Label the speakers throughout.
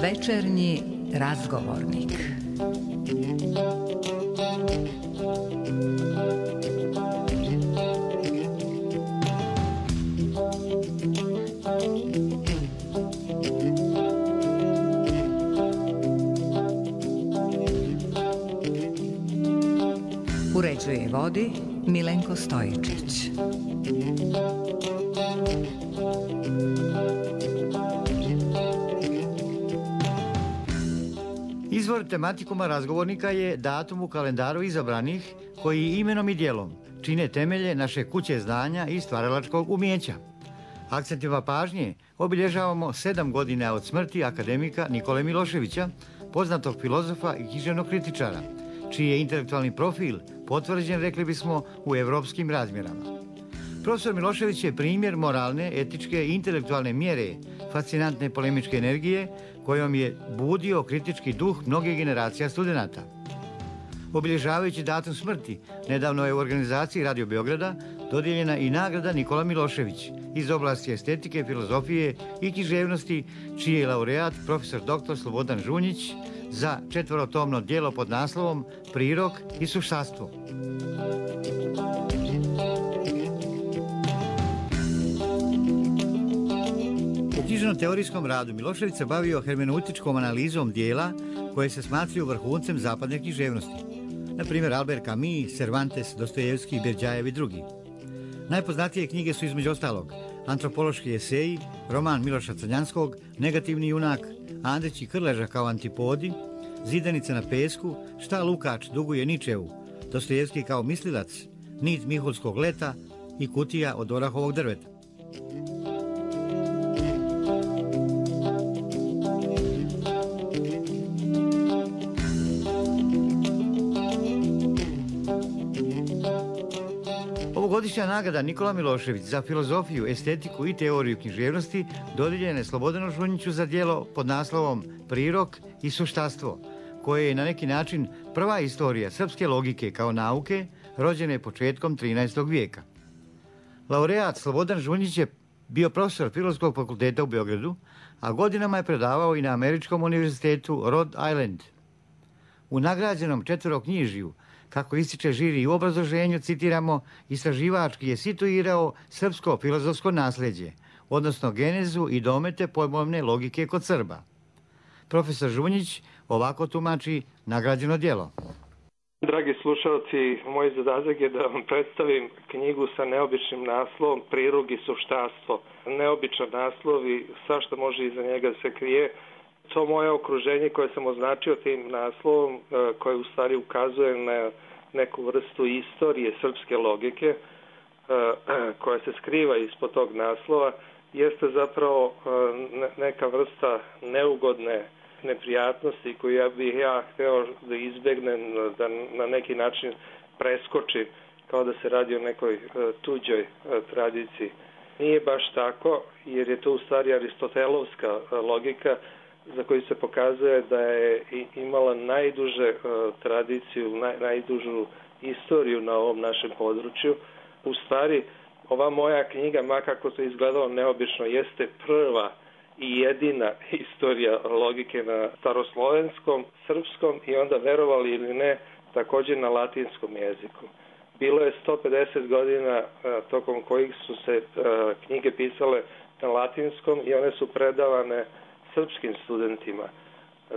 Speaker 1: Večernji razgovornik. Uređuje i vodi Milenko Stojičić.
Speaker 2: Izvor tematikuma razgovornika je datum u kalendaru izabranih koji imenom i djelom čine temelje naše kuće znanja i stvaralačkog umijeća. Akcentima pažnje obilježavamo 7 godina od smrti akademika Nikole Miloševića, poznatog filozofa i književnog kritičara, čiji je intelektualni profil potvrđen, rekli bismo, u evropskim razmjerama. Profesor Milošević je primjer moralne, etičke i intelektualne mjere, fascinantne polemičke energije kojom je budio kritički duh mnogih generacija studenata. Obilježavajući datum smrti, nedavno je u organizaciji Radio Beograda dodijeljena i nagrada Nikola Milošević iz oblasti estetike, filozofije i književnosti, čiji je laureat profesor dr. Slobodan Žunjić za 4-tomno djelo pod naslovom Prirok i suštastvo. U književno-teorijskom radu Milošević se bavio hermeneutičkom analizom dijela koje se smatraju vrhuncem zapadne književnosti. Na primjer Albert Camus, Cervantes, Dostojevski, Berdjajev i drugi. Najpoznatije knjige su između ostalog Antropološki eseji, roman Miloša Crnjanskog, Negativni junak, Andrić i Krleža kao antipodi, Zidanice na pesku, Šta Lukač duguje Ničevu, Dostojevski kao mislilac, Nit Mihulskog leta i Kutija od orahovog drveta. Ovogodišnja nagrada Nikola Milošević za filozofiju, estetiku i teoriju književnosti dodijeljena je Slobodanu Žunjiću za djelo pod naslovom Prirok i suštastvo, koje je na neki način prva istorija srpske logike kao nauke, rođene početkom 13. vijeka. Laureat Slobodan Žunjić je bio profesor Filozofskog fakulteta u Beogradu, a godinama je predavao i na Američkom univerzitetu Rhode Island. U nagrađenom 4-knjižiju, kako ističe žiri u obrazloženju, citiramo, istraživački je situirao srpsko filozofsko nasljeđe, odnosno genezu i domete pojmovne logike kod Srba. Profesor Žunjić ovako tumači nagrađeno djelo.
Speaker 3: Dragi slušalci, moj zadatak je da vam predstavim knjigu sa neobičnim naslovom Prirok i suštastvo. Neobičan naslov i svašta može iza njega se krije. To moje okruženje koje sam označio tim naslovom, koje u stvari ukazuje na neku vrstu istorije srpske logike koja se skriva ispod tog naslova, jeste zapravo neka vrsta neugodne neprijatnosti koju bih ja hteo da izbegnem, da na neki način preskočim, kao da se radi o nekoj tuđoj tradiciji. Nije baš tako, jer je to u stvari aristotelovska logika za koju se pokazuje da je imala najduže tradiciju, najdužu istoriju na ovom našem području. U stvari, ova moja knjiga, makako to izgledalo neobično, jeste prva i jedina istorija logike na staroslovenskom, srpskom i onda, verovali ili ne, također na latinskom jeziku. Bilo je 150 godina tokom kojih su se knjige pisale na latinskom i one su predavane srpskim studentima.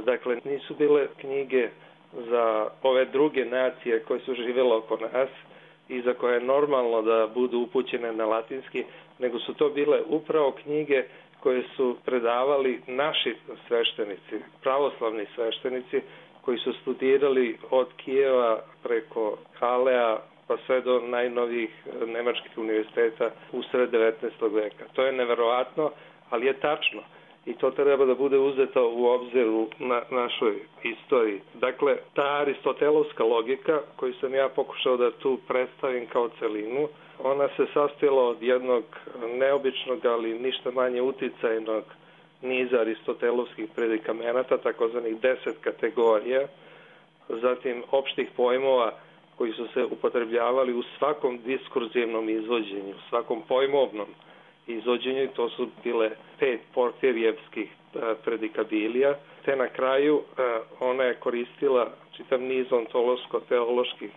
Speaker 3: Dakle, nisu bile knjige za ove druge nacije koje su živjele oko nas i za koje je normalno da budu upućene na latinski, nego su to bile upravo knjige koje su predavali naši sveštenici, pravoslavni sveštenici, koji su studirali od Kijeva preko Kalea pa sve do najnovijih nemačkih univerziteta usred 19. veka. To je neverovatno, ali je tačno. I to treba da bude uzeto u obzir u našoj istoriji. Dakle, ta aristotelovska logika koju sam ja pokušao da tu predstavim kao celinu, ona se sastojala od jednog neobičnog, ali ništa manje uticajnog niza aristotelovskih predikamenata, takozvanih 10 kategorija, zatim opštih pojmova koji su se upotrebljavali u svakom diskurzivnom izvođenju, u svakom pojmovnom izvođenju. To su bile 5 Porfirijevskih predikabilija, te na kraju ona je koristila čitav niz ontološko-teoloških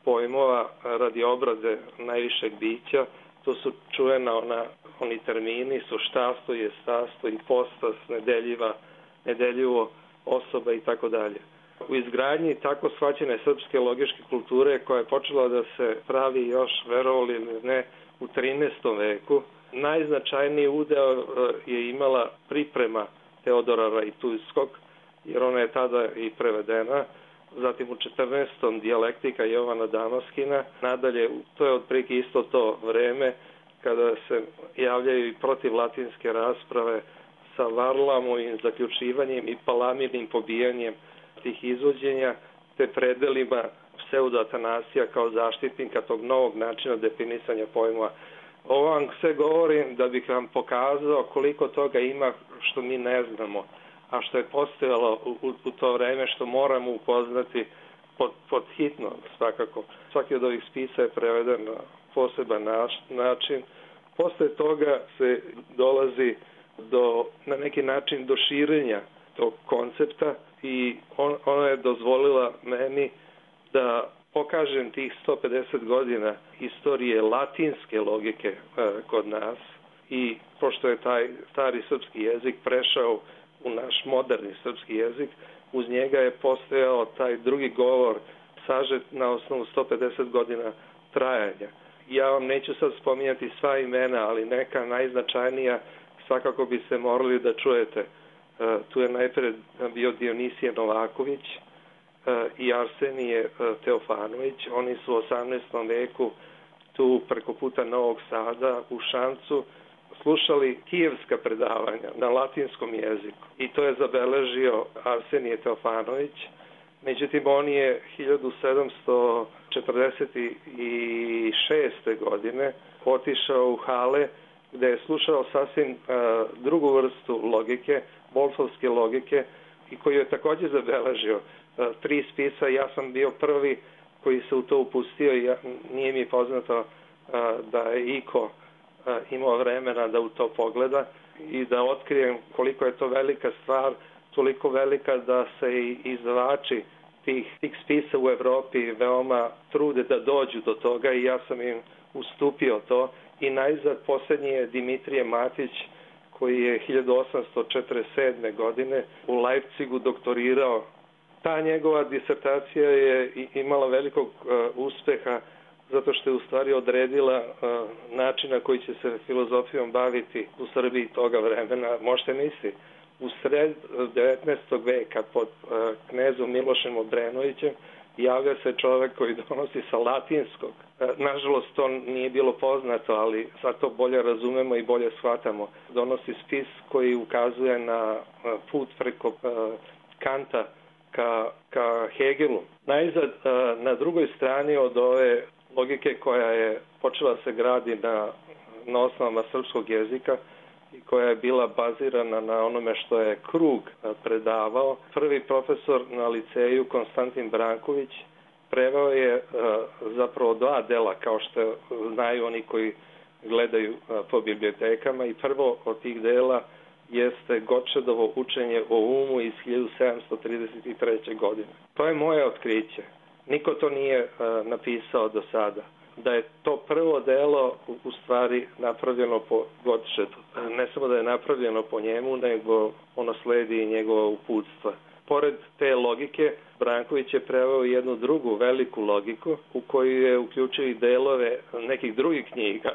Speaker 3: pojmova radi obrade najvišeg bića. To su čujena oni termini, suštastvo, jestastvo, ipostas, nedeljivo, osoba i tako dalje. U izgradnji tako shvaćene srpske logičke kulture, koja je počela da se pravi još, verovali ili ne, u 13. veku, najznačajniji udeo je imala priprema Teodora Rajtujskog, jer ona je tada i prevedena, zatim u 14. dijalektika Jovana Damaskina. Nadalje, to je otprilike isto to vreme kada se javljaju i protiv latinske rasprave sa Varlamovim zaključivanjem i Palamirnim pobijanjem tih izvođenja, te predelima pseudo-Atanasija kao zaštitnika tog novog načina definisanja pojmova. Ovo vam sve govorim da bih vam pokazao koliko toga ima što mi ne znamo, a što je postojalo u to vreme, što moramo upoznati pod hitno svakako. Svaki od ovih spisa je preveden na poseban način. Posle toga se dolazi na neki način do širenja tog koncepta i ona je dozvolila meni da pokažem tih 150 godina istorije latinske logike kod nas i pošto je taj stari srpski jezik prešao u naš moderni srpski jezik, uz njega je postojao taj drugi govor sažet na osnovu 150 godina trajanja. Ja vam neću sad spominjati sva imena, ali neka najznačajnija svakako bi se morali da čujete. Tu je najpred bio Dionisije Novaković i Arsenije Teofanović. Oni su u 18. veku tu preko puta Novog Sada u Šancu slušali kijevska predavanja na latinskom jeziku i to je zabeležio Arsenije Teofanović. Međutim, on je 1746. godine otišao u Hale gde je slušao sasvim drugu vrstu logike, Wolfovske logike, i koju je također zabeležio 3 spisa. Ja sam bio prvi koji se u to upustio i nije mi poznato da je iko imao vremena da u to pogleda i da otkrijem koliko je to velika stvar, toliko velika da se i izdavači tih spisa u Evropi veoma trude da dođu do toga i ja sam im ustupio to. I najzad posljednji je Dimitrije Matić, koji je 1847. godine u Leipzigu doktorirao. Ta njegova disertacija je imala velikog uspeha zato što je u stvari odredila način na koji će se filozofijom baviti u Srbiji toga vremena. Možete misliti, u sred 19. veka pod knezom Milošem Obrenovićem javlja se čovek koji donosi sa latinskog. Nažalost, to nije bilo poznato, ali sad to bolje razumemo i bolje shvatamo. Donosi spis koji ukazuje na put preko Kanta ka Hegelu. Najzad, na drugoj strani od ove logike koja je počela se gradi na osnovama srpskog jezika i koja je bila bazirana na onome što je Krug predavao. Prvi profesor na liceju, Konstantin Branković, preveo je zapravo 2 dela, kao što znaju oni koji gledaju po bibliotekama, i prvo od tih dela jeste Gottschedovo učenje o umu iz 1733. godine. To je moje otkriće. Niko to nije napisao do sada. Da je to prvo delo u stvari napravljeno po Gottschedu. Ne samo da je napravljeno po njemu, nego ono sledi i njegova uputstva. Pored te logike, Branković je preveo jednu drugu veliku logiku u koju je uključio i delove nekih drugih knjiga.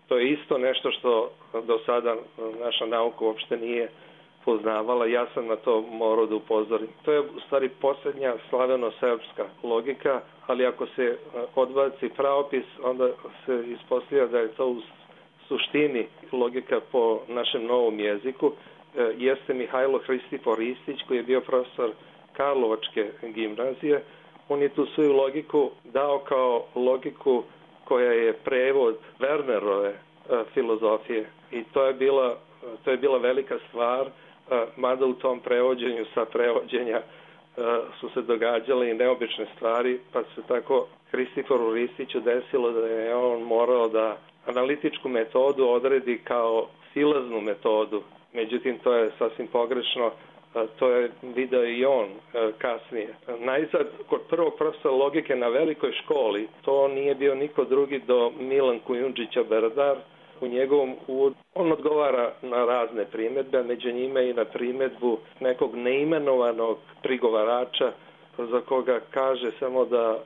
Speaker 3: To je isto nešto što do sada naša nauka uopšte nije poznavala. Ja sam na to morao da upozorim. To je u stvari posljednja slaveno-srpska logika, ali ako se odbaci pravopis, onda se ispostavlja da je to u suštini logika po našem novom jeziku. Jeste Mihajlo Hristifor Ristić, koji je bio profesor Karlovačke gimnazije. On je tu svoju logiku dao kao logiku koja je prevod Wernerove filozofije i to je bila velika stvar, mada u tom prevođenju sa prevođenja su se događale i neobične stvari, pa se tako Hristiforu Ristiću desilo da je on morao da analitičku metodu odredi kao silaznu metodu. Međutim, to je sasvim pogrešno, to je video i on kasnije. Najzad, kod prvog profesora logike na velikoj školi, to nije bio niko drugi do Milan Kujundžića Berdar. U njegovom uvodu on odgovara na razne primjedbe, među njima i na primjedbu nekog neimenovanog prigovarača za koga kaže samo da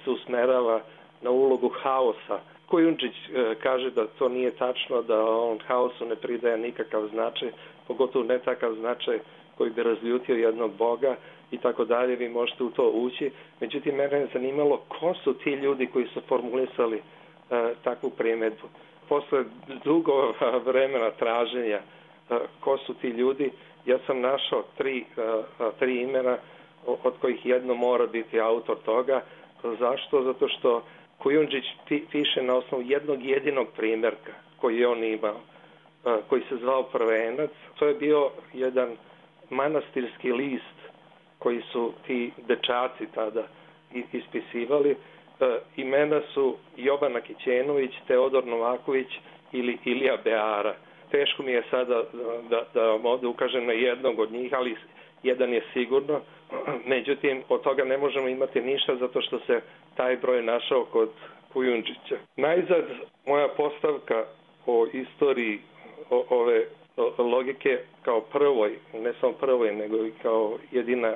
Speaker 3: se usmerava na ulogu haosa. Kujundžić kaže da to nije tačno, da on haosu ne pridaje nikakav značaj, pogotovo ne takav značaj koji bi razljutio jednog boga i tako dalje, vi možete u to ući. Međutim, mene je zanimalo ko su ti ljudi koji su formulisali takvu primjedbu. Posle dugo vremena traženja ko su ti ljudi, ja sam našao tri imena, od kojih jedno mora biti autor toga. Zašto? Zato što Kujundžić piše na osnovu jednog jedinog primjerka koji je on imao, koji se zvao Prvenac. To je bio jedan manastirski list koji su ti dečaci tada ispisivali. Imena su Jovana Kićenović, Teodor Novaković ili Ilija Beara. Teško mi je sada da vam ovdje ukažem na jednog od njih, ali jedan je sigurno. Međutim, od toga ne možemo imati ništa zato što se taj broj našao kod Kujundžića. Najzad, moja postavka o istoriji ove logike kao prvoj, ne samo prvoj, nego i kao jedina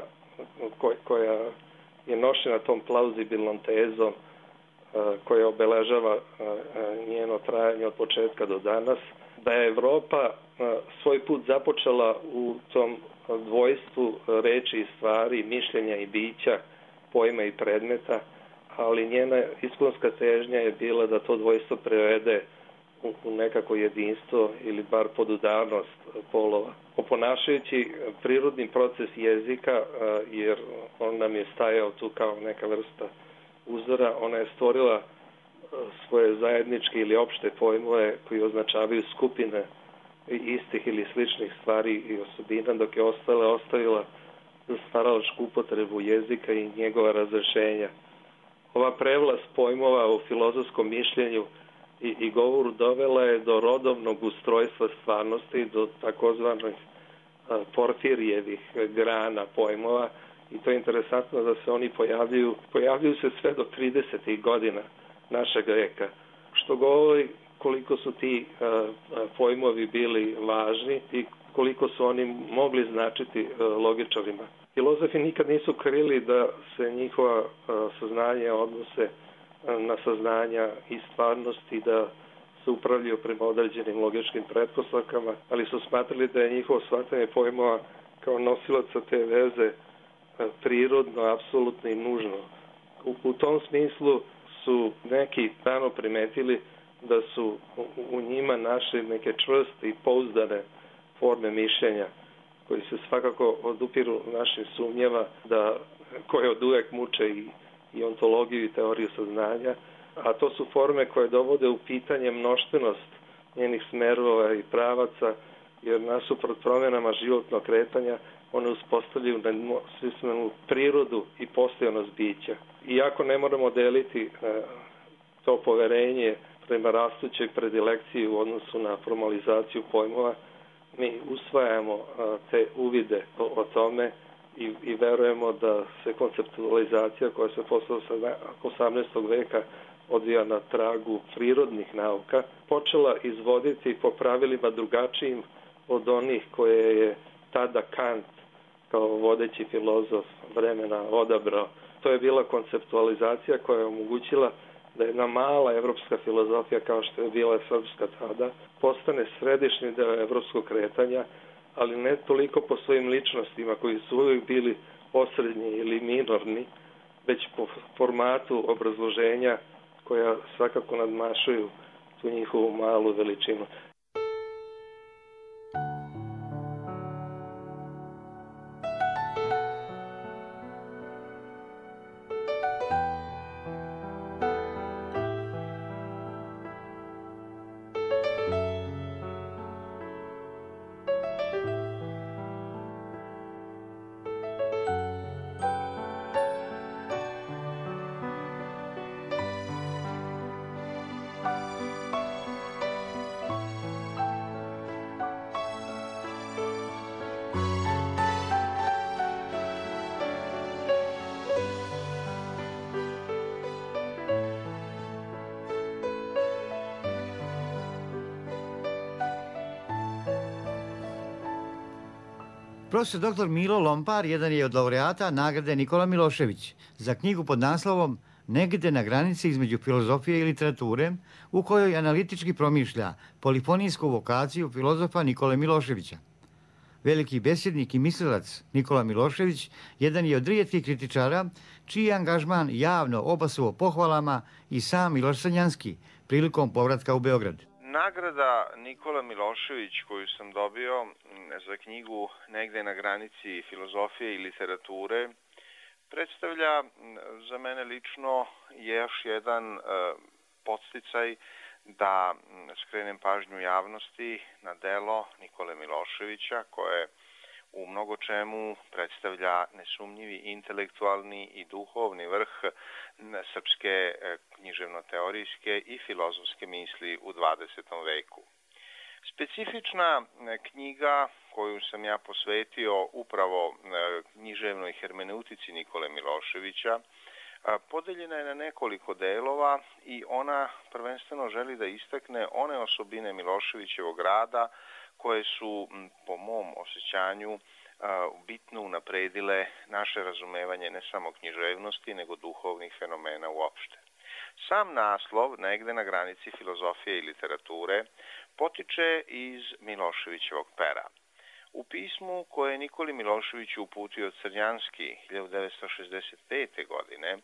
Speaker 3: koja je nošena tom plauzibilnom tezom koja obeležava njeno trajanje od početka do danas, da je Evropa svoj put započela u tom dvojstvu reči i stvari, mišljenja i bića, pojma i predmeta, ali njena iskonska težnja je bila da to dvojstvo prevede u nekako jedinstvo ili bar podudarnost polova. Oponašajući prirodni proces jezika, jer on nam je stajao tu kao neka vrsta uzora, ona je stvorila svoje zajedničke ili opšte pojmove koji označavaju skupine istih ili sličnih stvari i osobina, dok je ostavila za stvaralačku upotrebu jezika i njegova razrešenja. Ova prevlast pojmova u filozofskom mišljenju i govoru dovela je do rodovnog ustrojstva stvarnosti, do takozvanih Porfirijevih grana pojmova, i to je interesantno da se oni pojavljuju se sve do 30. godina našeg veka, što govori koliko su ti pojmovi bili važni i koliko su oni mogli značiti logičarima. Filozofi nikad nisu krili da se njihova saznanja odnose na saznanja i stvarnosti, da se upravljaju prema određenim logičkim pretpostavkama, ali su smatrali da je njihovo shvatanje pojmova kao nosilaca te veze prirodno, apsolutno i nužno. U tom smislu su neki rano primetili da su u njima našli neke čvrste i pouzdane forme mišljenja koji se svakako odupiru našim sumnjama, koje od uvek muče i ontologiju i teoriju saznanja, a to su forme koje dovode u pitanje mnoštvenost njenih smerova i pravaca, jer nasuprot promjenama životnog kretanja one uspostavljaju nesvismenu prirodu i postojanost bića. Iako ne moramo deliti to poverenje prema rastućoj predilekciji u odnosu na formalizaciju pojmova, mi usvajamo te uvide o tome i verujemo da se konceptualizacija koja se posle 18. veka odvija na tragu prirodnih nauka, počela izvoditi po pravilima drugačijim od onih koje je tada Kant kao vodeći filozof vremena odabrao. To je bila konceptualizacija koja je omogućila da jedna mala evropska filozofija, kao što je bila srpska tada, postane središnji deo evropskog kretanja, ali ne toliko po svojim ličnostima koji su uvijek bili osrednji ili minorni, već po formatu obrazloženja koja svakako nadmašuju tu njihovu malu veličinu.
Speaker 2: Profesor dr. Milo Lompar jedan je od laureata nagrade Nikola Milošević za knjigu pod naslovom Negde na granici između filozofije i literature, u kojoj analitički promišlja polifonijsku vokaciju filozofa Nikole Miloševića. Veliki besjednik i mislilac Nikola Milošević jedan je od rijetkih kritičara čiji je angažman javno obasuo pohvalama i sam Miloš Crnjanski prilikom povratka u Beograd.
Speaker 4: Nagrada Nikola Milošević koju sam dobio za knjigu Negde na granici filozofije i literature predstavlja za mene lično još jedan podsticaj da skrenem pažnju javnosti na delo Nikole Miloševića koje u mnogo čemu predstavlja nesumnjivi intelektualni i duhovni vrh srpske književno-teorijske i filozofske misli u 20. veku. Specifična knjiga koju sam ja posvetio upravo književnoj hermeneutici Nikole Miloševića podeljena je na nekoliko delova i ona prvenstveno želi da istakne one osobine Miloševićevog rada koje su, po mom osjećanju, bitno unapredile naše razumevanje ne samo književnosti, nego duhovnih fenomena uopšte. Sam naslov, Negde na granici filozofije i literature, potiče iz Miloševićevog pera. U pismu koje je Nikoli Miloševiću uputio Crnjanski 1965. godine,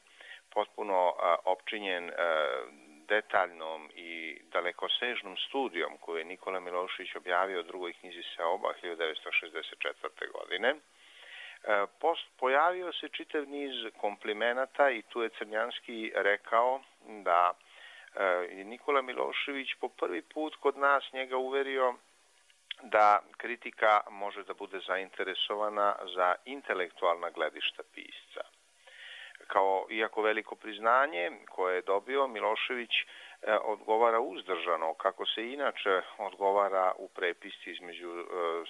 Speaker 4: potpuno opčinjen detaljnom i dalekosežnom studijom koju je Nikola Milošević objavio u drugoj knjizi Seoba 1964. godine, pojavio se čitav niz komplimenata i tu je Crnjanski rekao da je Nikola Milošević po prvi put kod nas njega uverio da kritika može da bude zainteresovana za intelektualna gledišta pisca. Kao iako veliko priznanje koje je dobio, Milošević odgovara uzdržano, kako se inače odgovara u prepisci između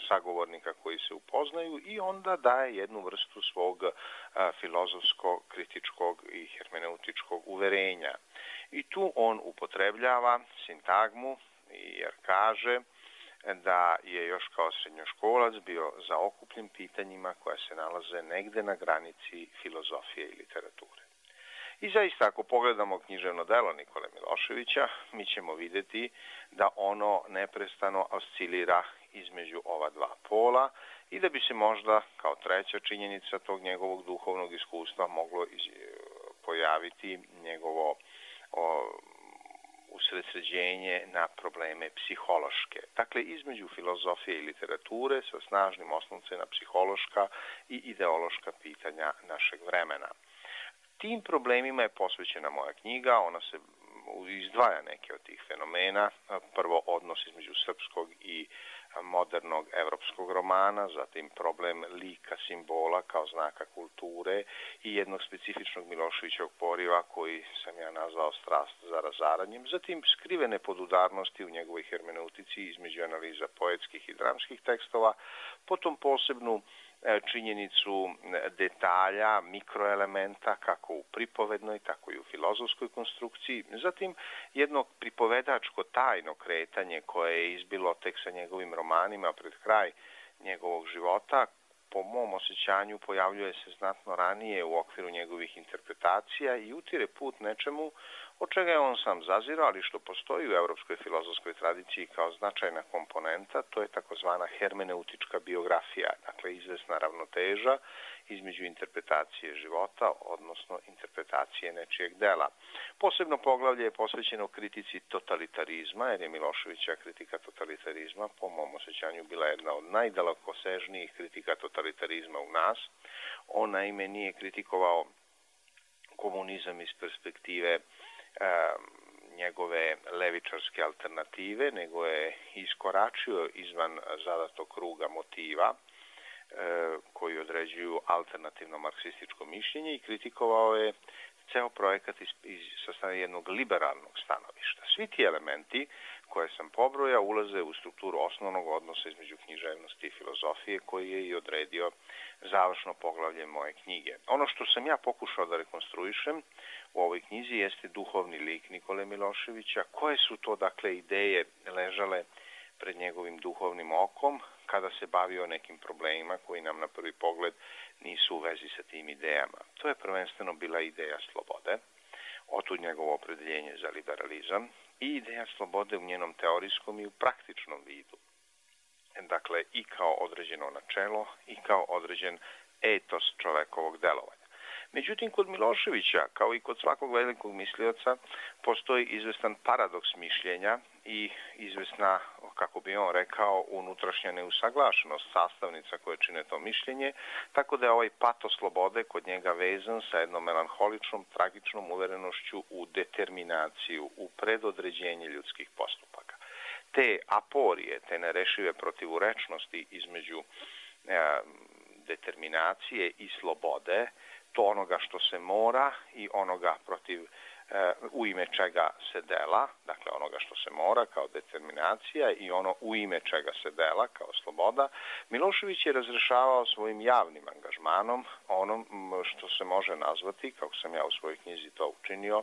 Speaker 4: sagovornika koji se upoznaju i onda daje jednu vrstu svog filozofskog, kritičkog i hermeneutičkog uverenja. I tu on upotrebljava sintagmu jer kaže da je još kao srednjoškolac bio zaokupljen pitanjima koja se nalaze negde na granici filozofije i literature. I zaista, ako pogledamo književno delo Nikole Miloševića, mi ćemo vidjeti da ono neprestano oscilira između ova dva pola i da bi se možda kao treća činjenica tog njegovog duhovnog iskustva moglo pojaviti njegovo usredsređenje na probleme psihološke. Dakle, između filozofije i literature sa snažnim osnovcem na psihološka i ideološka pitanja našeg vremena. Tim problemima je posvećena moja knjiga, ona se izdvaja neke od tih fenomena. Prvo, odnos između srpskog i modernog evropskog romana, zatim problem lika simbola kao znaka kulture i jednog specifičnog Miloševićevog poriva koji sam ja nazvao strast za razaranjem, zatim skrivene podudarnosti u njegovoj hermeneutici između analiza poetskih i dramskih tekstova, potom posebnu činjenicu detalja, mikroelementa, kako u pripovednoj, tako i u filozofskoj konstrukciji. Zatim jedno pripovedačko tajno kretanje koje je izbilo tek sa njegovim romanima pred kraj njegovog života, po mom osjećanju pojavljuje se znatno ranije u okviru njegovih interpretacija i utire put nečemu od čega je on sam zazirao, ali što postoji u evropskoj filozofskoj tradiciji kao značajna komponenta, to je takozvana hermeneutička biografija, dakle izvesna ravnoteža između interpretacije života, odnosno interpretacije nečijeg dela. Posebno poglavlje je posvećeno kritici totalitarizma, jer je Miloševića kritika totalitarizma po mom osjećanju bila jedna od najdalekosežnijih kritika totalitarizma u nas. On naime nije kritikovao komunizam iz perspektive njegove levičarske alternative, nego je iskoračio izvan zadatog kruga motiva koji određuju alternativno marksističko mišljenje i kritikovao je ceo projekat sa strane jednog liberalnog stanovišta. Svi ti elementi koje sam pobrojao ulaze u strukturu osnovnog odnosa između književnosti i filozofije koji je i odredio završno poglavlje moje knjige. Ono što sam ja pokušao da rekonstruišem u ovoj knjizi jeste duhovni lik Nikole Miloševića, koje su to dakle ideje ležale pred njegovim duhovnim okom kada se bavio nekim problemima koji nam na prvi pogled nisu u vezi sa tim idejama. To je prvenstveno bila ideja slobode, otud njegovo opredeljenje za liberalizam i ideja slobode u njenom teorijskom i u praktičnom vidu. Dakle, i kao određeno načelo i kao određen etos čovekovog delovanja. Međutim, kod Miloševića, kao i kod svakog velikog mislioca, postoji izvestan paradoks mišljenja i izvesna, kako bi on rekao, unutrašnja neusaglašenost sastavnica koje čine to mišljenje, tako da je ovaj pato slobode kod njega vezan sa jednom melanholičnom, tragičnom uverenošću u determinaciju, u predodređenje ljudskih postupaka. Te aporije, te nerešive protivurečnosti između determinacije i slobode, to onoga što se mora i onoga u ime čega se dela, dakle onoga što se mora kao determinacija i ono u ime čega se dela kao sloboda, Milošević je razrešavao svojim javnim angažmanom onom što se može nazvati, kako sam ja u svojoj knjizi to učinio,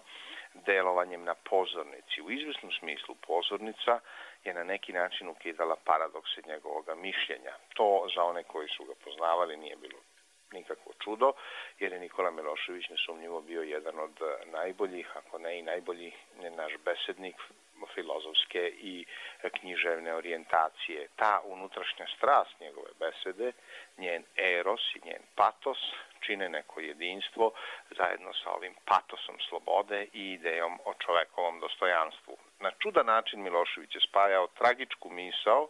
Speaker 4: delovanjem na pozornici. U izvesnom smislu pozornica je na neki način ukidala paradokse njegovog mišljenja. To za one koji su ga poznavali nije bilo nikakvo čudo, jer je Nikola Milošević nesumnjivo bio jedan od najboljih, ako ne i najbolji naš besednik filozofske i književne orijentacije. Ta unutrašnja strast njegove besede, njen eros i njen patos čine neko jedinstvo zajedno sa ovim patosom slobode i idejom o čovekovom dostojanstvu. Na čudan način Milošević je spajao tragičku misao,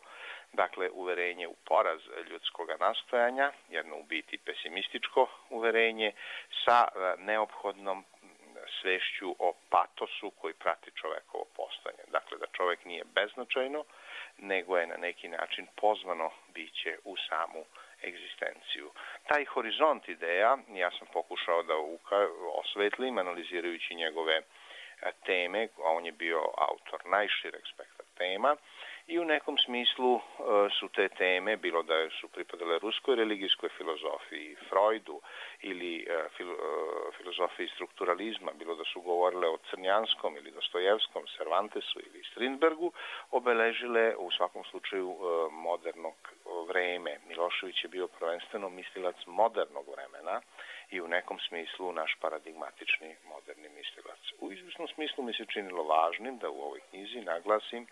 Speaker 4: dakle uverenje u poraz ljudskog nastojanja, jedno u biti pesimističko uverenje, sa neophodnom svešću o patosu koji prati čovekovo postojanje. Dakle, da čovek nije beznačajno, nego je na neki način pozvano biće u samu egzistenciju. Taj horizont ideja, ja sam pokušao da osvetlim, analizirajući njegove teme, a on je bio autor najšireg spektra tema, i u nekom smislu su te teme, bilo da su pripadale ruskoj religijskoj filozofiji, Freudu ili filozofiji strukturalizma, bilo da su govorile o Crnjanskom ili Dostojevskom, Cervantesu ili Strindbergu, obeležile u svakom slučaju modernog vreme. Milošević je bio prvenstveno mislilac modernog vremena i u nekom smislu naš paradigmatični moderni mislilac. U izvjesnom smislu mi se činilo važnim da u ovoj knjizi naglasim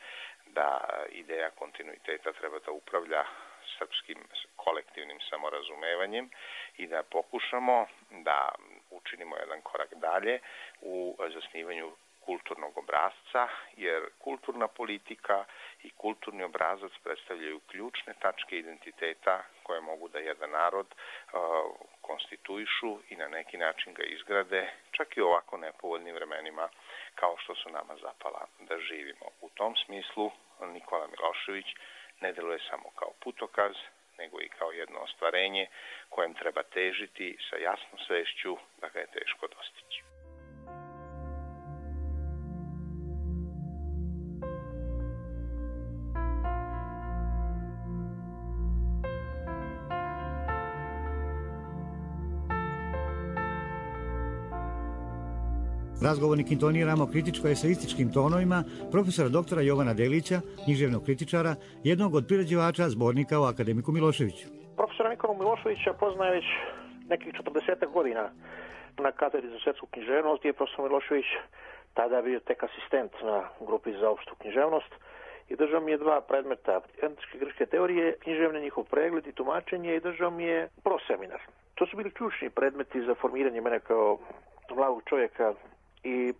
Speaker 4: da ideja kontinuiteta treba da upravlja srpskim kolektivnim samorazumevanjem i da pokušamo da učinimo jedan korak dalje u zasnivanju kulturnog obrazca, jer kulturna politika i kulturni obrazac predstavljaju ključne tačke identiteta koje mogu da jedan narod konstituišu i na neki način ga izgrade, čak i u ovako nepovoljnim vremenima kao što su nama zapala da živimo. U tom smislu Nikola Milošević ne deluje samo kao putokaz, nego i kao jedno ostvarenje kojem treba težiti sa jasnom svešću da ga je teško dostići.
Speaker 2: Razgovornik intoniramo kritičko-eseističkim tonovima profesora doktora Jovana Delića, književnog kritičara, jednog od priređivača zbornika o akademiku Miloševiću.
Speaker 5: Profesora Nikolu Miloševića poznaje već nekih 40 godina na katedri za svetsku književnost, gdje je profesor Milošević tada bio tek asistent na grupi za opštu književnost i držao mi je 2 predmeta, antičke grčke teorije, književne, njihov pregled i tumačenje, i držao mi je proseminar. To su bili ključni predmeti za formiranje mene kao mladog čovjeka i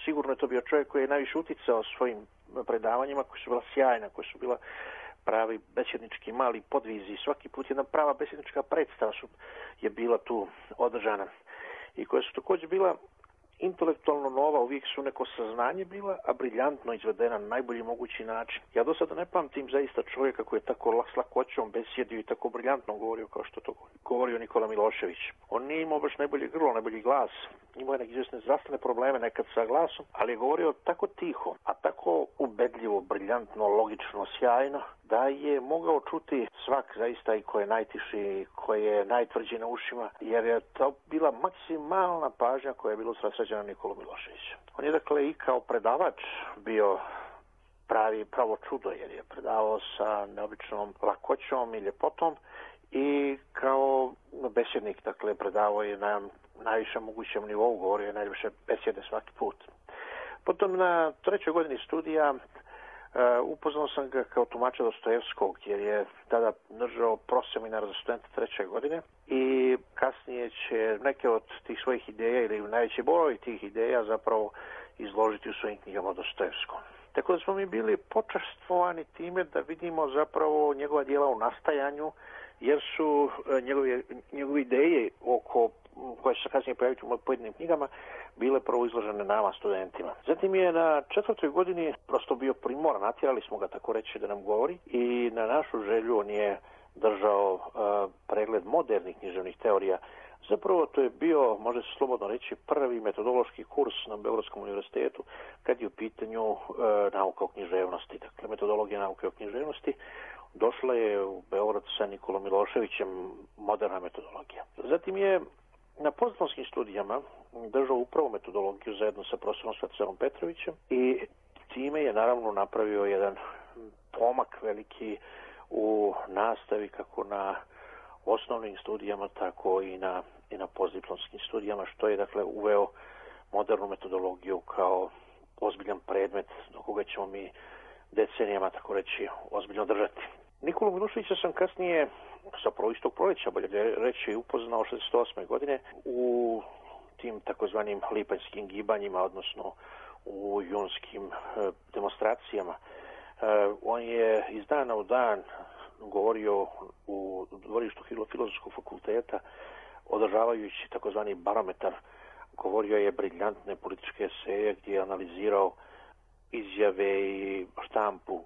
Speaker 5: sigurno je to bio čovjek koji je najviše uticao svojim predavanjima, koji su bila sjajna, koji su bila pravi besednički mali podvizi. Svaki put jedna prava besednička predstava je bila tu održana i koja su također bila intelektualno nova, uvijek su neko saznanje bila, a briljantno izvedena na najbolji mogući način. Ja do sada ne pamtim zaista čovjeka koji je tako s lakoćom besjedio i tako briljantno govorio kao što to govorio Nikola Milošević. On nije imao baš najbolje grlo, najbolji glas, imao je neke izvjesne zdravstvene probleme nekad sa glasom, ali je govorio tako tiho, a tako ubedljivo, briljantno, logično, sjajno, da je mogao čuti svak zaista i ko je najtiši, i ko je najtvrđi na ušima, jer je to bila maksimalna pažnja koja je bila usredsređena Nikolu Miloševića. On je dakle i kao predavač bio pravo čudo, jer je predavao sa neobičnom lakoćom i ljepotom i kao besjednik, dakle, predavao je na najvišem mogućem nivou, govorio je najviše besjede svaki put. Potom na 3. godini studija upoznao sam ga kao tumača Dostojevskog, jer je tada držao proseminar za studente 3. godine i kasnije će neke od tih svojih ideja ili najveći broj tih ideja zapravo izložiti u svojim knjigama o Dostojevskom. Tako da smo mi bili počastvovani time da vidimo zapravo njegova djela u nastajanju, jer su njegove ideje koje će se kasnije pojaviti u pojedinim knjigama bile prvo izložene nama, studentima. Zatim je na 4. godini prosto bio primoran, natjerali smo ga tako reći da nam govori i na našu želju on je držao pregled modernih književnih teorija. Zapravo to je bio, može se slobodno reći, prvi metodološki kurs na Beogradskom univerzitetu kad je u pitanju nauka o književnosti, dakle metodologija nauke o književnosti. Došla je u Beograd sa Nikolom Miloševićem moderna metodologija. Zatim je na postdiplomskim studijama držao upravo metodologiju zajedno sa profesorom Svetislavom Petrovićem i time je naravno napravio jedan pomak veliki u nastavi kako na osnovnim studijama, tako i na postdiplomskim studijama, što je dakle uveo modernu metodologiju kao ozbiljan predmet do koga ćemo mi decenijama, tako reći, ozbiljno držati. Nikolu Miloševića sam kasnije, zapravo istog proleća, bolje reći, upoznao 68. godine u tim takozvanim lipanjskim gibanjima, odnosno u junskim demonstracijama. On je iz dana u dan govorio u dvorištu Filozofskog fakulteta, održavajući takozvani barometar. Govorio je briljantne političke eseje gdje je analizirao izjave i štampu,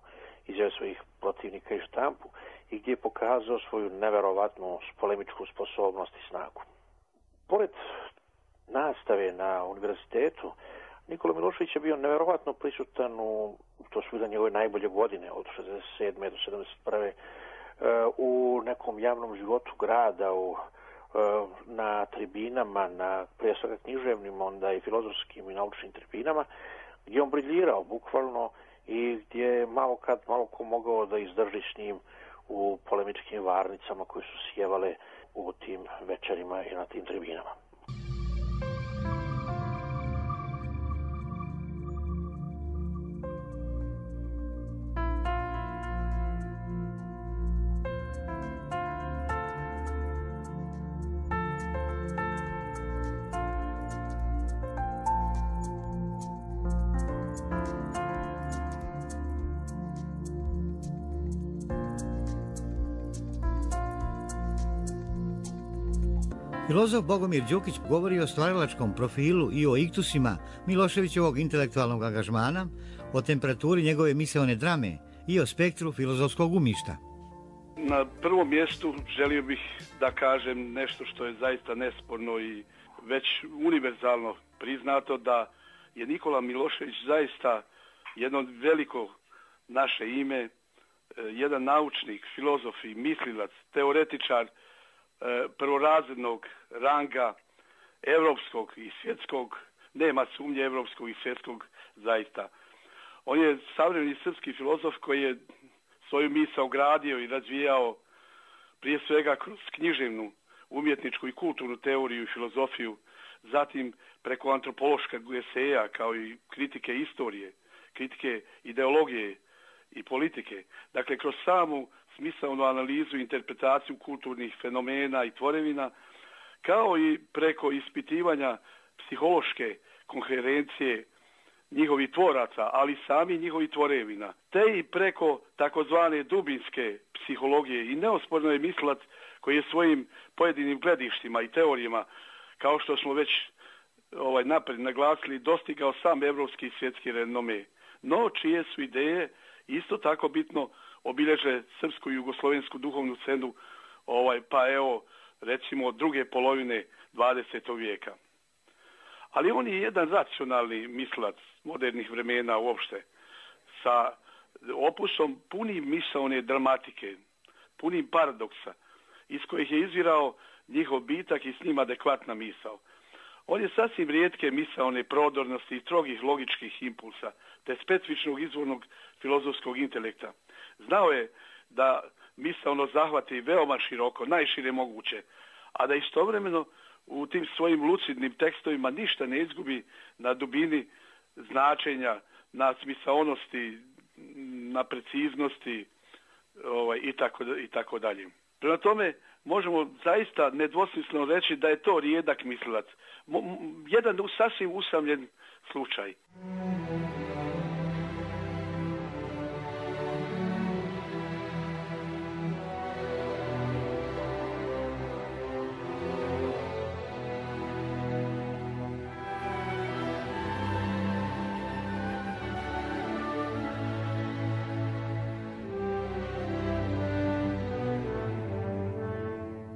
Speaker 5: izjave svojih protivnika i štampu i gdje je pokazao svoju neverovatnu polemičku sposobnost i snagu. Pored nastave na univerzitetu, Nikola Milošević je bio neverovatno prisutan to su bile njegove najbolje godine, od 67. do 71. U nekom javnom životu grada, na tribinama, prije svega književnim, onda i filozofskim i naučnim tribinama, gdje on briljirao bukvalno i gdje je malo ko mogao da izdrži s njim u polemičkim varnicama koje su sjevale u tim večerima i na tim tribinama.
Speaker 2: Filozof Bogomir Đukić govori o stvaralačkom profilu i o iktusima Miloševićevog intelektualnog angažmana, o temperaturi njegove misaone drame i o spektru filozofskog umišta.
Speaker 6: Na prvom mjestu želio bih da kažem nešto što je zaista nesporno i već univerzalno priznato, da je Nikola Milošević zaista jedno veliko naše ime, jedan naučnik, filozof i mislilac, teoretičar prvorazrednog ranga, evropskog i svjetskog, nema sumnje evropskog i svjetskog zaista. On je savremeni srpski filozof koji je svoju misao gradio i razvijao prije svega kroz književnu, umjetničku i kulturnu teoriju i filozofiju, zatim preko antropološkog eseja kao i kritike istorije, kritike ideologije i politike. Dakle, kroz samu smisaonu analizu i interpretaciju kulturnih fenomena i tvorevina, kao i preko ispitivanja psihološke koherencije njihovih tvoraca, ali sami njihovih tvorevina, te i preko takozvane dubinske psihologije. I neosporno je mislilac koji je svojim pojedinim gledištima i teorijama, kao što smo već napred naglasili, dostigao sam evropski i svjetski renome, no čije su ideje isto tako bitno obilježe srpsku i jugoslovensku duhovnu scenu, recimo druge polovine 20. vijeka. Ali on je jedan racionalni mislilac modernih vremena uopšte, sa opusom punim misaone dramatike, punim paradoksa, iz kojih je izvirao njihov bitak i s njim adekvatna misao. On je sasvim rijetke misaone prodornosti i strogih logičkih impulsa, te specifičnog izvornog filozofskog intelekta. Znao je da misaono zahvati veoma široko, najšire moguće, a da istovremeno u tim svojim lucidnim tekstovima ništa ne izgubi na dubini značenja, na smisaonosti, na preciznosti i tako dalje. Prema tome, možemo zaista nedvosmisleno reći da je to rijedak mislilac. Jedan sasvim usamljen slučaj.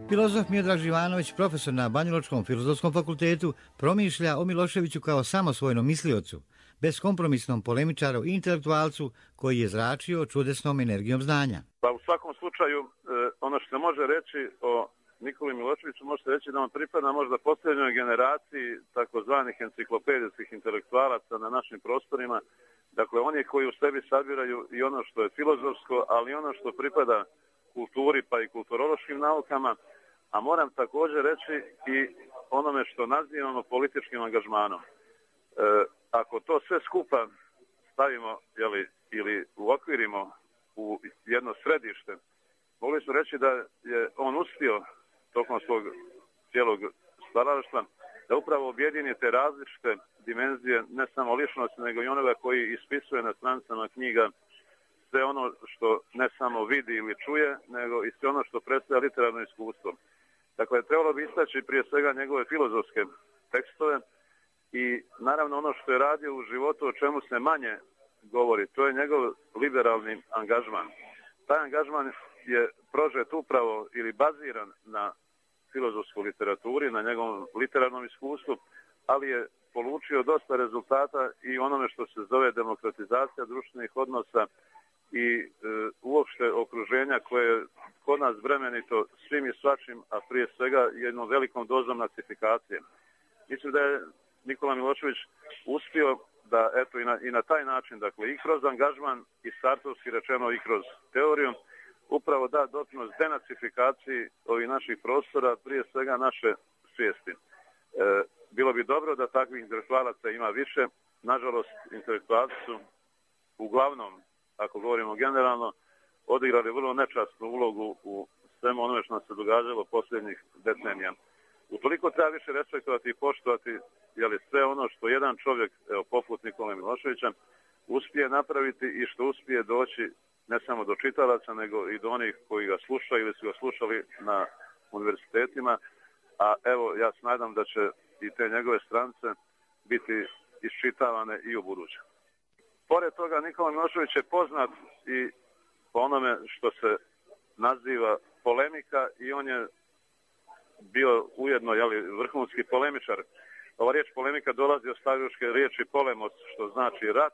Speaker 2: Filozof Miodrag Živanović, profesor na Banjalučkom filozofskom fakultetu, promišlja o Miloševiću kao samosvojnom misliocu, beskompromisnom polemičaru i intelektualcu koji je zračio čudesnom energijom znanja.
Speaker 7: Pa u svakom slučaju, ono što se može reći o Nikoli Miloševiću, može se reći da on pripada možda posljednjoj generaciji takozvanih enciklopedijskih intelektualaca na našim prostorima. Dakle, oni koji u sebi sabiraju i ono što je filozofsko, ali i ono što pripada kulturi pa i kulturološkim naukama, a moram također reći i onome što nazivamo političkim angažmanom. Ako to sve skupa stavimo ili uokvirimo u jedno središte, mogli smo reći da je on uspio tokom svog cijelog stvaralaštva da upravo objedini te različite dimenzije, ne samo ličnosti, nego i onoga koji ispisuje na stranicama knjiga sve ono što ne samo vidi ili čuje, nego i sve ono što predstavlja literarno iskustvo. Dakle, trebalo bi istaći prije svega njegove filozofske tekstove i naravno ono što je radio u životu, o čemu se manje govori, to je njegov liberalni angažman. Taj angažman je prožet upravo ili baziran na filozofskoj literaturi, na njegovom literarnom iskustvu, ali je polučio dosta rezultata i onome što se zove demokratizacija društvenih odnosa i uopšte okruženja koje je kod nas bremenito svim i svačim, a prije svega jednom velikom dozom nacifikacije. Mislim da je Nikola Milošević uspio da eto i na taj način, dakle i kroz angažman i sartovski rečeno i kroz teoriju, upravo da doprinos denacifikaciji ovih naših prostora, prije svega naše svijesti. Bilo bi dobro da takvih intelektualaca ima više. Nažalost, intelektualci su uglavnom, ako govorimo generalno, odigrali vrlo nečasnu ulogu u svemu onome što nam se događalo posljednjih decenija. Utoliko treba više respektovati i poštovati sve ono što jedan čovjek, poput Nikole Miloševića, uspije napraviti i što uspije doći ne samo do čitalaca, nego i do onih koji ga slušaju ili su ga slušali na univerzitetima. A evo, ja se nadam da će i te njegove stranice biti iščitavane i u buduće. Pored toga, Nikola Milošević je poznat i po onome što se naziva polemika i on je bio ujedno vrhunski polemičar. Ova riječ polemika dolazi od staroruške riječi polemos, što znači rat,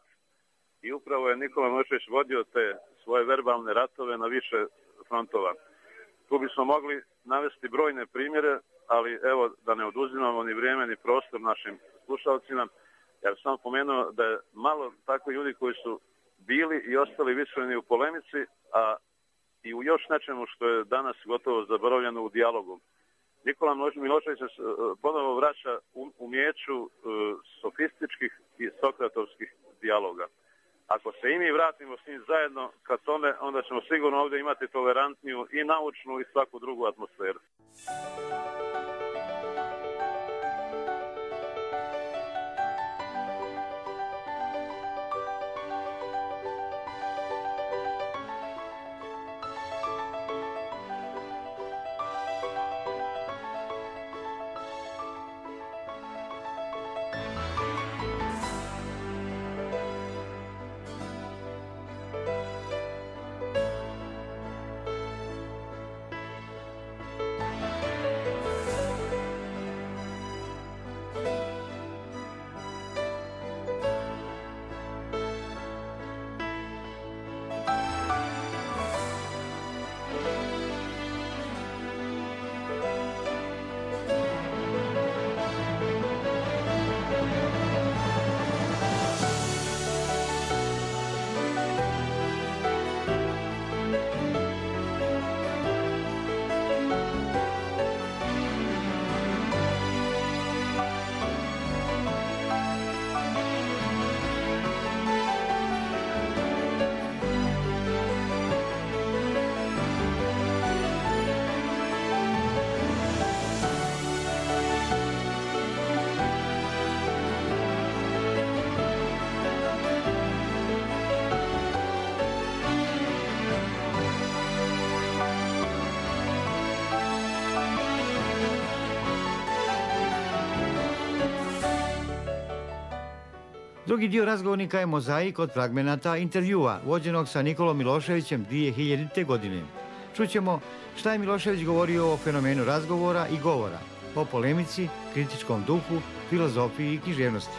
Speaker 7: i upravo je Nikola Milošević vodio te svoje verbalne ratove na više frontova. Tu bismo mogli navesti brojne primjere, ali evo da ne oduzimamo ni vrijeme ni prostor našim slušalcima. Ja bih samo pomenuo da je malo takvi ljudi koji su bili i ostali visoljeni u polemici, a i u još nečemu što je danas gotovo zaboravljeno u dijalogu. Nikola Milošević se ponovo vraća umijeću sofističkih i sokratovskih dijaloga. Ako se i mi vratimo s njim zajedno ka tome, onda ćemo sigurno ovdje imati tolerantniju i naučnu i svaku drugu atmosferu.
Speaker 2: Drugi dio razgovornika je mozaik od fragmenata intervjua vođenog sa Nikolom Miloševićem 2000. godine. Čućemo šta je Milošević govorio o fenomenu razgovora i govora, o polemici, kritičkom duhu, filozofiji i književnosti.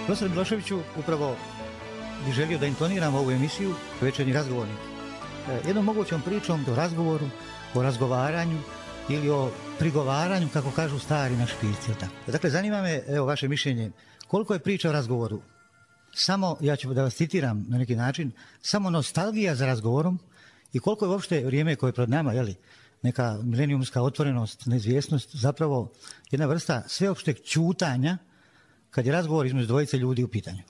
Speaker 2: Profesor Miloševiću, upravo bih želio da intoniram ovu emisiju Večernji razgovornik. Jednom mogućom pričom o razgovoru, o razgovaranju ili o prigovaranju, kako kažu stari naši pisci. Dakle, zanima me, evo, vaše mišljenje, koliko je priča o razgovoru samo, ja ću da vas citiram na neki način, samo nostalgija za razgovorom i koliko je uopšte vrijeme koje je pred nama, jeli, neka milenijumska otvorenost, neizvjesnost, zapravo jedna vrsta sveopšteg ćutanja kad je razgovor između dvojice ljudi u pitanju.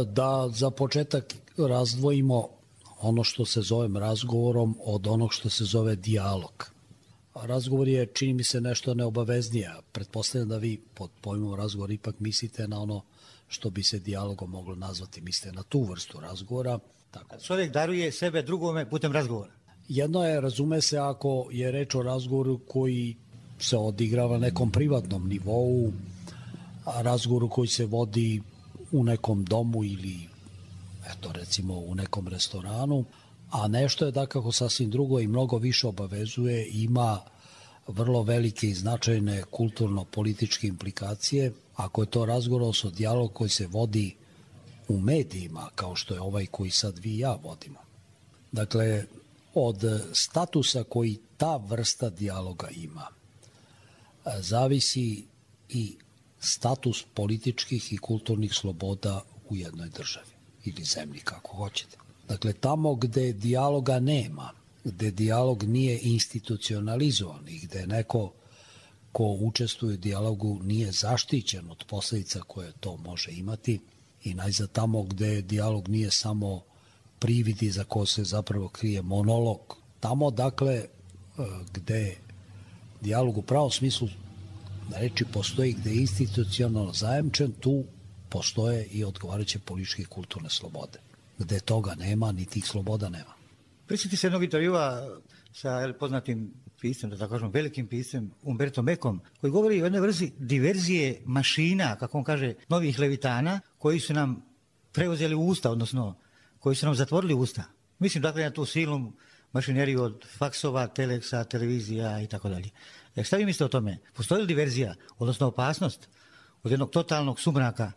Speaker 8: Da za početak razdvojimo ono što se zove razgovorom od onog što se zove dijalog. Razgovor je, čini mi se, nešto neobaveznije. Pretpostavljam da vi pod pojmom razgovor ipak mislite na ono što bi se dijalogom moglo nazvati, mislite na tu vrstu razgovora. Tako.
Speaker 2: Čovjek daruje sebe drugome putem razgovora.
Speaker 8: Jedno je, razume se, ako je reč o razgovoru koji se odigrava na nekom privatnom nivou, a razgovoru koji se vodi u nekom domu ili, eto, recimo u nekom restoranu, a nešto je dakako sasvim drugo i mnogo više obavezuje, ima vrlo velike i značajne kulturno-političke implikacije. Ako je to razgovor, odnosno dijalog koji se vodi u medijima, kao što je ovaj koji sad vi i ja vodimo. Dakle, od statusa koji ta vrsta dijaloga ima, zavisi i status političkih i kulturnih sloboda u jednoj državi ili zemlji, kako hoćete. Dakle, tamo gde dijaloga nema, gde dijalog nije institucionalizovan i gde neko ko učestvuje u dijalogu nije zaštićen od posledica koje to može imati i najzad tamo gde dijalog nije samo privid iza ko se zapravo krije monolog, tamo dakle gde dijalog u pravom smislu reči postoji, gde je institucionalno zajamčen, tu postoje i odgovarajuće političke i kulturne slobode. Gde toga nema, ni tih sloboda nema.
Speaker 2: Prisjeti se jednog intervjua sa poznatim piscem, da tako kažem, velikim piscem, Umbertom Ecom, koji govori o jednoj vrsti diverzije mašina, kako on kaže, novih levitana, koji su nam preuzeli usta, odnosno koji su nam zatvorili usta. Mislim, dakle, na tu silnu mašineriju od faksova, teleksa, televizija i tako dalje. Šta vi mislite o tome? Postoji li diverzija, odnosno opasnost od jednog totalnog sumraka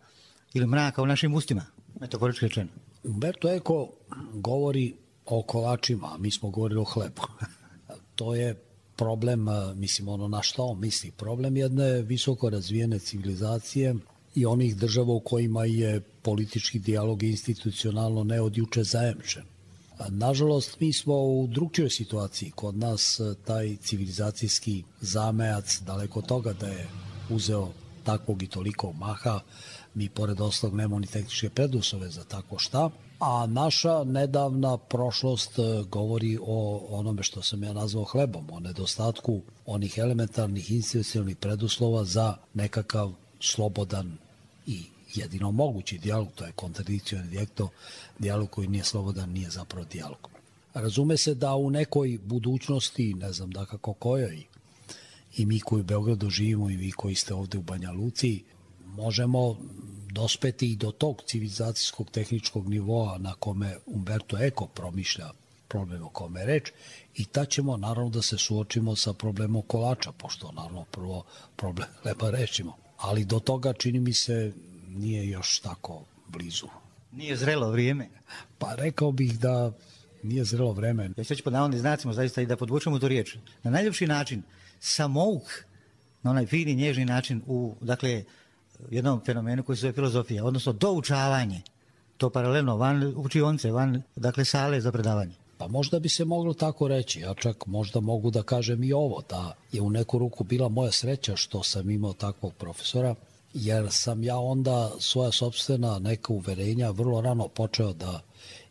Speaker 2: ili mraka u našim ustima, metaforički rečeno?
Speaker 8: Umberto Eco govori o kolačima, a mi smo govorili o hlebu. To je problem, mislim, ono na što on misli, problem jedne visoko razvijene civilizacije i onih država u kojima je politički dijalog institucionalno ne od juče zajemčen. Nažalost, mi smo u drugčijoj situaciji. Kod nas taj civilizacijski zamejac, daleko od toga da je uzeo takvog i toliko maha, mi pored ostalog nemamo ni tehničke preduslove za tako šta, a naša nedavna prošlost govori o onome što sam ja nazvao hlebom, o nedostatku onih elementarnih institucionalnih preduslova za nekakav slobodan i jedino mogući dijalog, to je kontradikcioni dijalog koji nije slobodan, nije zapravo dijalog. Razume se da u nekoj budućnosti, ne znam da kako kojoj, i mi koji u Beogradu živimo i vi koji ste ovde u Banja Luci, možemo dospeti i do tog civilizacijskog tehničkog nivoa na kome Umberto Eco promišlja problem o kome je reč i tad ćemo naravno da se suočimo sa problemom kolača, pošto naravno prvo problem hleba rešimo. Ali do toga, čini mi se, nije još tako blizu.
Speaker 2: Nije zrelo vrijeme?
Speaker 8: Pa rekao bih da nije zrelo vreme.
Speaker 2: Ja ću pod navodnim znacima zaista i da podvučemo tu riječ. Na najljepši način, samouk, na onaj fini, nježni način u, dakle, jednom fenomenu koji se zove filozofija, odnosno doučavanje, to paralelno, van učionce, van, dakle, sale za predavanje.
Speaker 8: Pa možda bi se moglo tako reći, ja čak možda mogu da kažem i ovo, da je u neku ruku bila moja sreća što sam imao takvog profesora, jer sam ja onda svoja sopstvena neka uverenja vrlo rano počeo da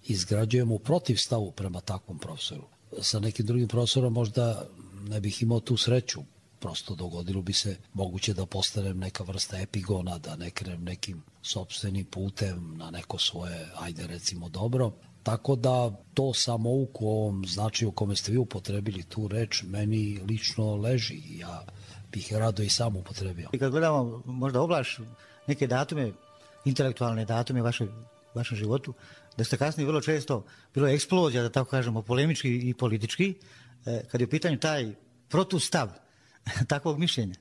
Speaker 8: izgrađujem u protivstavu prema takvom profesoru. Sa nekim drugim profesorom možda ne bih imao tu sreću, prosto dogodilo bi se moguće da postanem neka vrsta epigona, da ne krenem nekim sopstvenim putem na neko svoje, ajde recimo dobro, Tako da to samouk u ovom značaju u kome ste vi upotrebili tu reč meni lično leži. Ja bih rado i sam upotrebio.
Speaker 2: I kad gledamo možda oblaš neke datume, intelektualne datume u vašem životu, da ste kasnije vrlo često bilo eksplozija, da tako kažemo, polemički i politički, kad je u pitanju taj protustav takvog mišljenja.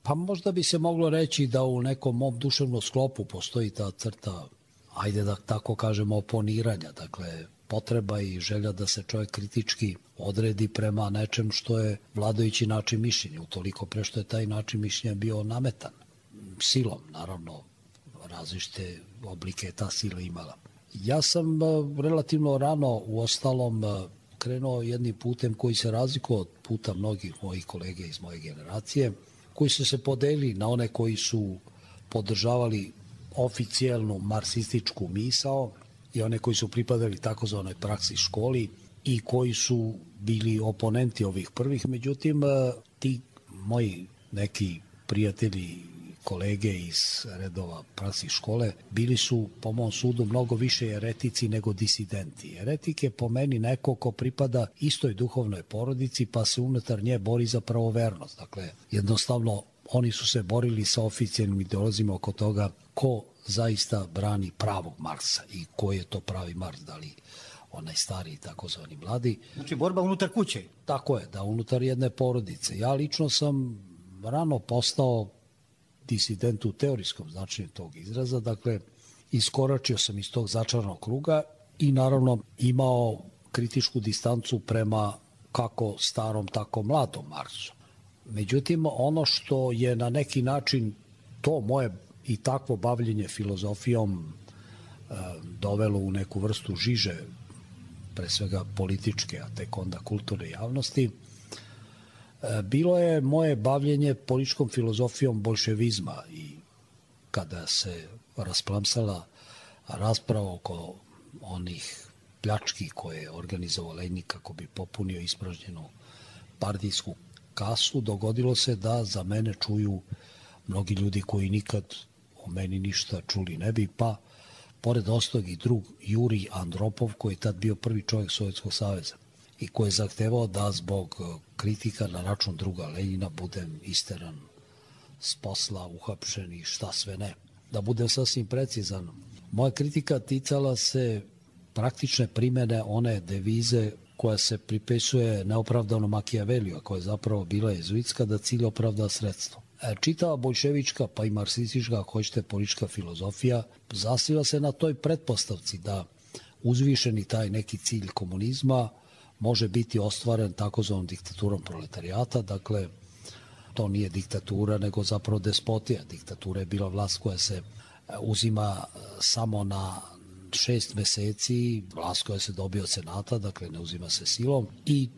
Speaker 8: Pa možda bi se moglo reći da u nekom mom duševnom sklopu postoji ta crta, ajde da tako kažemo, oponiranja, dakle potreba i želja da se čovjek kritički odredi prema nečem što je vladajući način mišljenja, utoliko pre što je taj način mišljenja bio nametan silom, naravno različite oblike je ta sila imala. Ja sam relativno rano u ostalom krenuo jednim putem koji se razlikovao od puta mnogih mojih kolega iz moje generacije, koji su se podelili na one koji su podržavali oficijelnu marksističku misao i one koji su pripadali takozvanoj praksi školi i koji su bili oponenti ovih prvih. Međutim, ti moji neki prijatelji, kolege iz redova praksi škole bili su, po mom sudu, mnogo više eretici nego disidenti. Eretik je po meni neko ko pripada istoj duhovnoj porodici pa se unutar nje bori za pravovernost. Dakle, jednostavno oni su se borili sa oficijalnim ideolozima oko toga ko zaista brani pravog Marksa i ko je to pravi Marks, da li onaj stari takozvani mladi.
Speaker 2: Znači borba unutar kuće.
Speaker 8: Tako je, da unutar jedne porodice. Ja lično sam rano postao disident u teorijskom značenju tog izraza, dakle iskoračio sam iz tog začaranog kruga i naravno imao kritičku distancu prema kako starom, tako mladom Marksu. Međutim, ono što je na neki način to moje i takvo bavljenje filozofijom dovelo u neku vrstu žiže, pre svega političke, a tek onda kulturne javnosti, bilo je moje bavljenje političkom filozofijom bolševizma i kada se rasplamsala rasprava oko onih pljački koje je organizovao Lenin kako bi popunio ispražnjenu partijsku kasu, dogodilo se da za mene čuju mnogi ljudi koji nikad o meni ništa čuli ne bi, pa pored ostalog i drug Jurij Andropov, koji je tad bio prvi čovjek Sovjetskog saveza i koji je zahtevao da zbog kritika na račun druga Lenjina budem isteran s posla, uhapšen i šta sve ne. Da budem sasvim precizan, moja kritika ticala se praktične primene one devize koja se pripisuje neopravdano Machiavelliju, a koja je zapravo bila jezuitska, da cilj opravda sredstvo. Čitava bolševička, pa i marksistička, ako hoćete, politička filozofija zasniva se na toj pretpostavci da uzvišeni taj neki cilj komunizma može biti ostvaren takozvanom diktaturom proletarijata. Dakle, to nije diktatura, nego zapravo despotija. Diktatura je bila vlast koja se uzima samo na 6 meseci, vlast koja se dobije od senata, dakle ne uzima se silom, i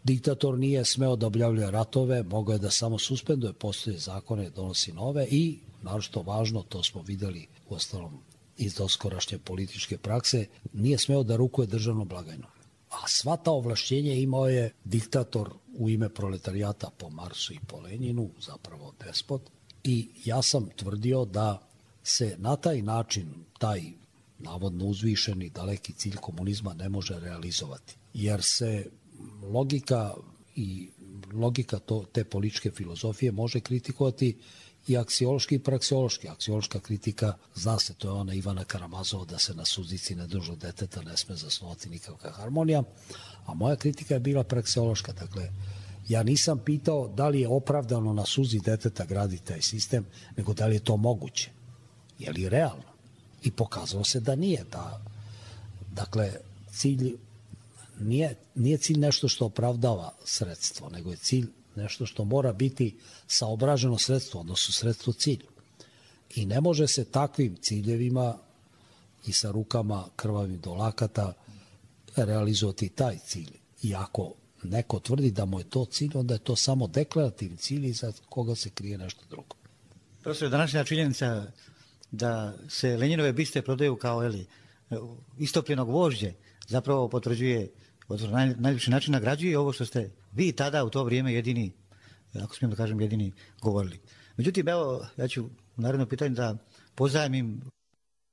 Speaker 8: diktator nije smeo da objavljuje ratove, mogao je da samo suspenduje postoje zakone, donosi nove i, naročito važno, to smo videli u ostalom iz doskorašnje političke prakse, nije smeo da rukuje državnom blagajnom. A sva ta ovlašćenja imao je diktator u ime proletarijata po Marsu i po Lenjinu, zapravo despot, i ja sam tvrdio da se na taj način taj navodno uzvišeni daleki cilj komunizma ne može realizovati, jer se logika te političke filozofije može kritikovati i aksiološki i praksiološki. Aksiološka kritika, zna se, to je ona Ivana Karamazova da se na suzici nedužnog deteta ne sme zasnovati nikakva harmonija, a moja kritika je bila praksiološka. Dakle, ja nisam pitao da li je opravdano na suzi deteta graditi taj sistem, nego da li je to moguće, je li realno. I pokazalo se da nije. Dakle, cilj nije cilj nešto što opravdava sredstvo, nego je cilj nešto što mora biti saobraženo sredstvo, odnosno sredstvo cilj. I ne može se takvim ciljevima i sa rukama krvavim do lakata realizovati taj cilj. I ako neko tvrdi da mu je to cilj, onda je to samo deklarativni cilj i za koga se krije nešto drugo.
Speaker 2: Profesor, današnja činjenica da se Lenjinove biste prodaju kao istopljenog vožđe zapravo potvrđuje, na najljepši način nagrađuje ovo što ste vi tada u to vrijeme jedini, ako smijem da kažem, jedini govorili. Međutim, evo, ja ću u narednom pitanju da pozajmim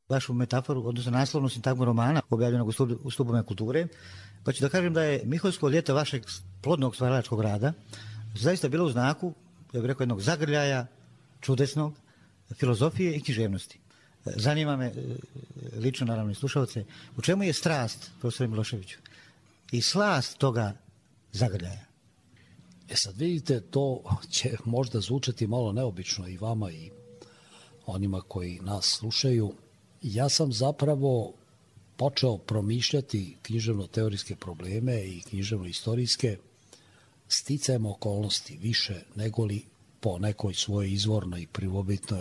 Speaker 2: vašu metaforu, odnosno naslovnu sintagmu romana objavljenog u Stubovima kulture, pa ću da kažem da je Miholjsko ljeto vašeg plodnog stvaralačkog rada zaista bilo u znaku, ja bih rekao, jednog zagrljaja čudesnog filozofije i književnosti. Zanima me, lično naravno i slušalce, u čemu je strast, profesore Miloševiću, i slast toga zagrljaja?
Speaker 8: Sad vidite, to će možda zvučati malo neobično i vama i onima koji nas slušaju. Ja sam zapravo počeo promišljati književno-teorijske probleme i književno-istorijske sticajem okolnosti više nego li po nekoj svojoj izvornoj i prvobitnoj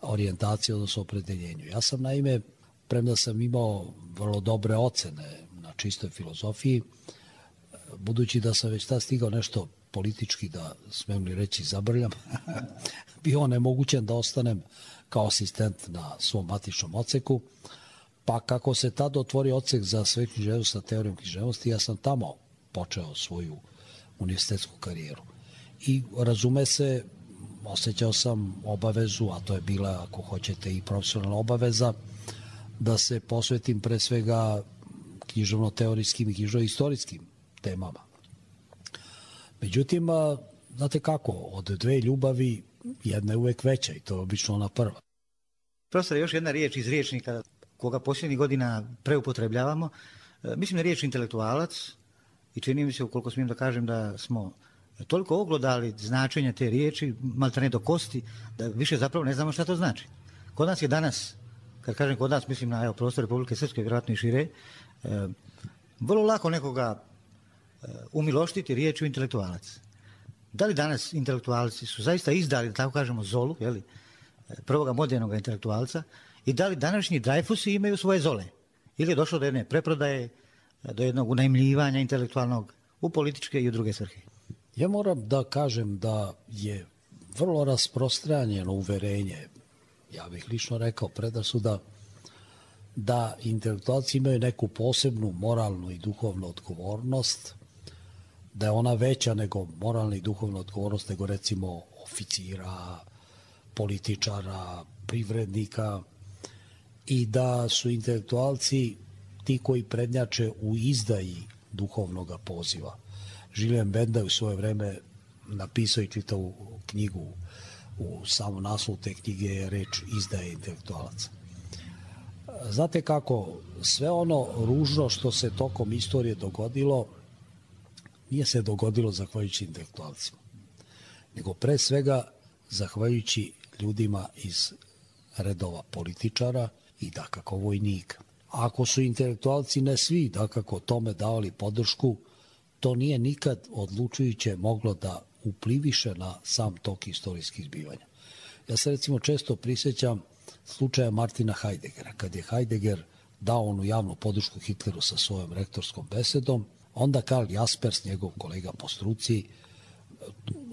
Speaker 8: orijentaciji, odnosno opredeljenju. Ja sam naime, premda sam imao vrlo dobre ocene na čistoj filozofiji, budući da sam već tad stigao nešto politički, da smem li reći zabrljam, bio onemogućen da ostanem kao asistent na svom matičnom odseku, pa kako se tad otvorio odsek za sve književnost sa teorijom književnosti, ja sam tamo počeo svoju univerzitetsku karijeru. I razume se, osjećao sam obavezu, a to je bila, ako hoćete, i profesionalna obaveza, da se posvetim pre svega književno-teorijskim i književno-istorijskim temama. Međutim, znate kako, od dve ljubavi jedna je uvek veća i to je obično ona prva.
Speaker 2: Profesor, još jedna riječ iz riječnika koga posljednjih godina preupotrebljavamo. Mislim na riječ intelektualac i čini mi se, ukoliko smijem da kažem, da smo toliko oglodali značenja te riječi, maltene do kosti, da više zapravo ne znamo šta to znači. Kod nas je danas, kad kažem kod nas, mislim na prostor Republike Srpske, vjerojatno i šire, vrlo lako nekoga umiloštiti riječju intelektualac. Da li danas intelektualci su zaista izdali, da tako kažemo, zolu, prvoga modernog intelektualca, i da li današnji Dreyfusi imaju svoje zole? Ili je došlo do jedne preprodaje, do jednog unajmljivanja intelektualnog u političke i u druge svrhe?
Speaker 8: Ja moram da kažem da je vrlo rasprostranjeno uverenje, ja bih lično rekao predrasuda, da intelektualci imaju neku posebnu moralnu i duhovnu odgovornost, da je ona veća nego moralna i duhovna odgovornost nego recimo oficira, političara, privrednika, i da su intelektualci ti koji prednjače u izdaji duhovnog poziva. Julien Benda je u svoje vreme napisao i čitao knjigu, u samom naslovu te knjige je reč izdaje intelektualaca. Znate kako, sve ono ružno što se tokom istorije dogodilo, nije se dogodilo zahvaljujući intelektualcima, nego pre svega zahvaljujući ljudima iz redova političara i dakako vojnika. Ako su intelektualci, ne svi, dakako tome davali podršku, to nije nikad odlučujuće moglo da upliviše na sam tok istorijskih zbivanja. Ja se recimo često prisjećam slučaja Martina Heideggera. Kad je Heidegger dao onu javnu podršku Hitleru sa svojom rektorskom besedom, onda Karl Jaspers, njegov kolega po struci,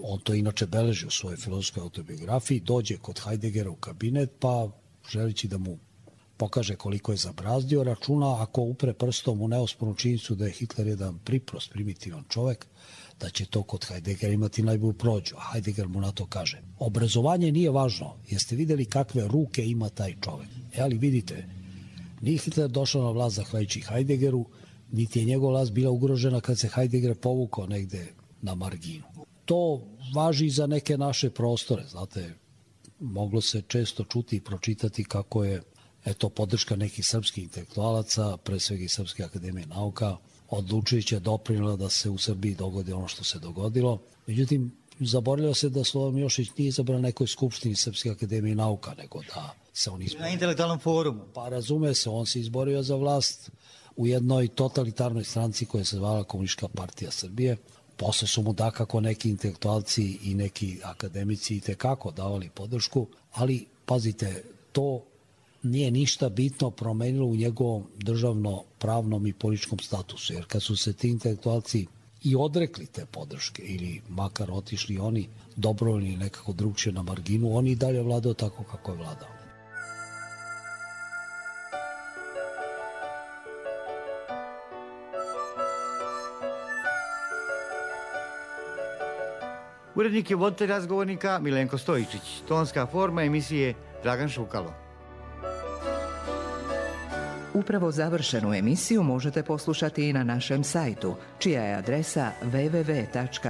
Speaker 8: on to inače beleži u svojoj filozofskoj autobiografiji, dođe kod Heideggera u kabinet, pa želeći da mu pokaže koliko je zabrazdio, računa ako upre prstom u neospornu činjenicu da je Hitler jedan priprost, primitivan čovek, da će to kod Heideggera imati najbolju prođu. A Heidegger mu na to kaže: obrazovanje nije važno, jeste videli kakve ruke ima taj čovek. Ali vidite, nije Hitler došao na vlast zahvaljujući Heideggeru, niti je njegova vlast bila ugrožena kad se Heidegger povukao negde na marginu. To važi i za neke naše prostore. Znate, moglo se često čuti i pročitati kako je podrška nekih srpskih intelektualaca, pre svega i Srpske akademije nauka, odlučujuće doprinela da se u Srbiji dogodi ono što se dogodilo. Međutim, zaboravljao se da Slobodan Milošević nije izabran na nekoj skupštini Srpske akademije nauka, nego da se on izborio.
Speaker 2: Na intelektualnom forumu.
Speaker 8: Pa razume se, on se izborio za vlast u jednoj totalitarnoj stranci koja se zvala Komunistička partija Srbije. Posle su mu dakako neki intelektualci i neki akademici i tekako davali podršku, ali pazite, to nije ništa bitno promenilo u njegovom državno-pravnom i političkom statusu, jer kad su se ti intelektualci i odrekli te podrške ili makar otišli oni dobrovoljni nekako drugčije na marginu, on i dalje vladao tako kako je vladao.
Speaker 2: Urednik je voditelj razgovornika Milenko Stojičić, tonska forma emisije Dragan Šukalo.
Speaker 1: Upravo završenu emisiju možete poslušati i na našem sajtu, čija je adresa www.rtrs.tv.